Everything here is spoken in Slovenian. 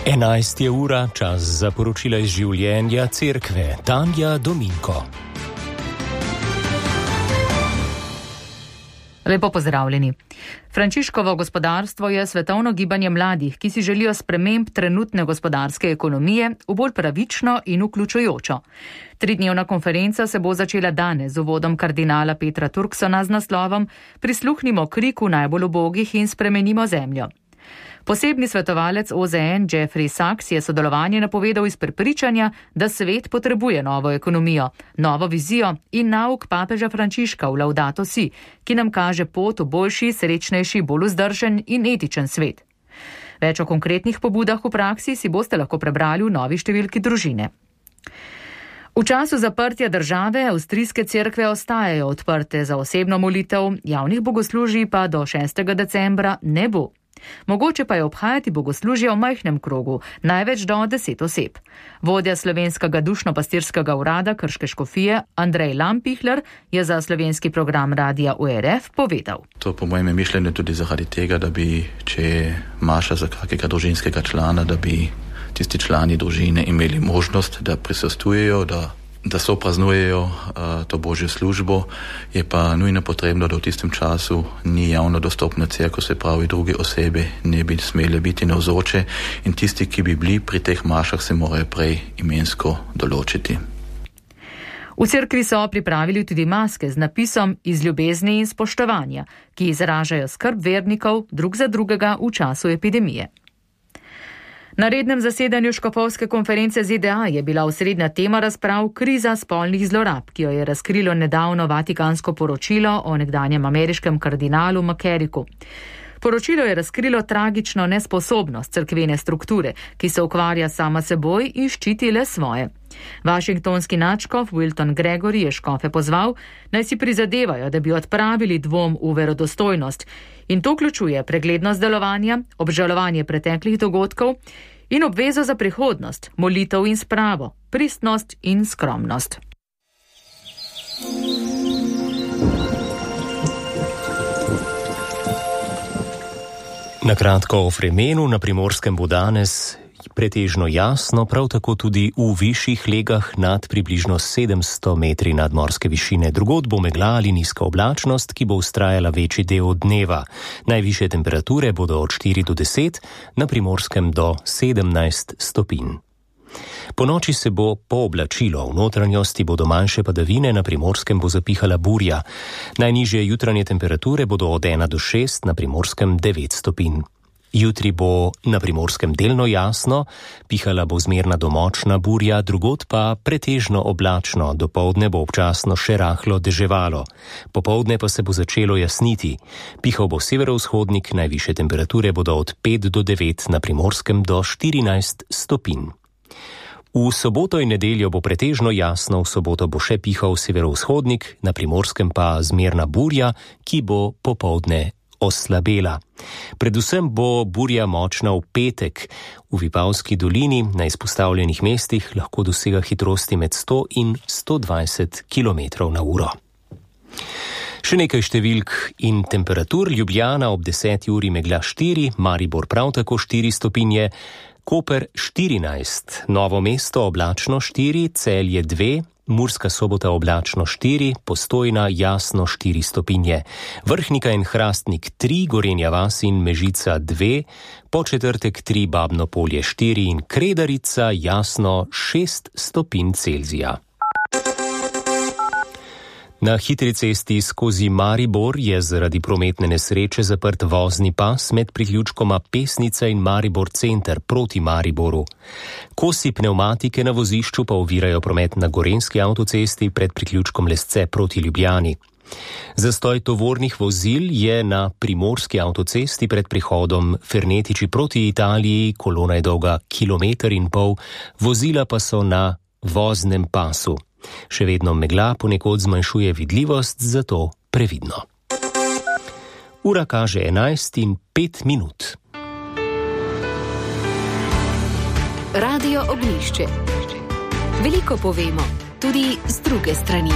11 je ura, čas za poročila iz življenja cerkve. Tanja Dominko. Lepo pozdravljeni. Frančiškovo gospodarstvo je svetovno gibanje mladih, ki si želijo sprememb trenutne gospodarske ekonomije v bolj pravično in vključujočo. 3-dnevna konferenca se bo začela danes z uvodom kardinala Petra Turksona z naslovom Prisluhnimo kriku najbolj ubogih in spremenimo zemljo. Posebni svetovalec OZN Jeffrey Sachs je sodelovanje napovedal iz prepričanja, da svet potrebuje novo ekonomijo, novo vizijo in nauk papeža Frančiška v Laudato Si, ki nam kaže pot v boljši, srečnejši, bolj vzdržen in etičen svet. Več o konkretnih pobudah v praksi si boste lahko prebrali v novi številki Družine. V času zaprtja države avstrijske cerkve ostajajo odprte za osebno molitev, javnih bogoslužij pa do 6. decembra ne bo. Mogoče pa je obhajati bogoslužje v majhnem krogu, največ do 10 oseb. Vodja slovenskega dušno-pastirskega urada Krške škofije Andrej Lampihler je za slovenski program radija URF povedal. To po mojem mišljenju tudi zaradi tega, da bi, če je maša za kakega družinskega člana, da bi tisti člani družine imeli možnost, da prisostujejo, da so praznujejo to božjo službo, je pa nujno potrebno, da v tistem času ni javno dostopna cerkev, se pravi druge osebe ne bi smele biti navzoče in tisti, ki bi bili pri teh mašah, se morajo prej imensko določiti. V cerkvi so pripravili tudi maske z napisom iz ljubezni in spoštovanja, ki izražajo skrb vernikov drug za drugega v času epidemije. Na rednem zasedanju škofovske konference ZDA je bila osrednja tema razprav kriza spolnih zlorab, ki jo je razkrilo nedavno vatikansko poročilo o nekdanjem ameriškem kardinalu McCarricku. Poročilo je razkrilo tragično nesposobnost cerkvene strukture, ki se ukvarja sama seboj in ščiti le svoje. Washingtonski nadškof Wilton Gregory je škofe pozval, naj si prizadevajo, da bi odpravili dvom v verodostojnost, in to vključuje preglednost delovanja, obžalovanje preteklih dogodkov in obvezo za prihodnost, molitev in spravo, pristnost in skromnost. Na kratko o vremenu, na Primorskem bo danes pretežno jasno, prav tako tudi v višjih legah nad približno 700 metri nadmorske višine. Drugod bo megla ali nizka oblačnost, ki bo vztrajala večji del dneva. Najvišje temperature bodo od 4 do 10, na Primorskem do 17 stopinj. Po noči se bo pooblačilo, v notranjosti bodo manjše padavine, na Primorskem bo zapihala burja. Najnižje jutranje temperature bodo od 1 do 6, na Primorskem 9 stopinj. Jutri bo na Primorskem delno jasno, pihala bo zmerna do močna burja, drugod pa pretežno oblačno, dopoldne bo občasno še rahlo deževalo. Popoldne pa se bo začelo jasniti. Pihal bo severovzhodnik, najvišje temperature bodo od 5 do 9, na Primorskem do 14 stopinj. V soboto in nedeljo bo pretežno jasno, v soboto bo še pihal severovzhodnik, na Primorskem pa zmerna burja, ki bo popoldne oslabela. Predvsem bo burja močna v petek. V Vipavski dolini na izpostavljenih mestih lahko dosega hitrosti med 100 in 120 km/h. Še nekaj številk in temperatur. Ljubljana ob 10 uri megla 4, Maribor prav tako 4 stopinje, Koper 14, Novo mesto oblačno 4, Celje 2, Murska Sobota oblačno 4, Postojna jasno 4 stopinje, Vrhnika in Hrastnik 3, Gorenja vas in Mežica 2, Podčetrtek 3, Babno Polje 4 in Kredarica jasno 6 stopinj Celzija. Na hitri cesti skozi Maribor je zaradi prometne nesreče zaprt vozni pas med priključkoma Pesnica in Maribor center proti Mariboru. Kosi pnevmatike na vozišču pa ovirajo promet na Gorenjski avtocesti pred priključkom Lesce proti Ljubljani. Zastoj tovornih vozil je na Primorski avtocesti pred prihodom Fernetiči proti Italiji, kolona je dolga 1,5 km, vozila pa so na voznem pasu. Še vedno megla ponekod zmanjšuje vidljivost, zato previdno. Ura kaže 11:05. Radio Ognjišče. Veliko povemo, tudi z druge strani.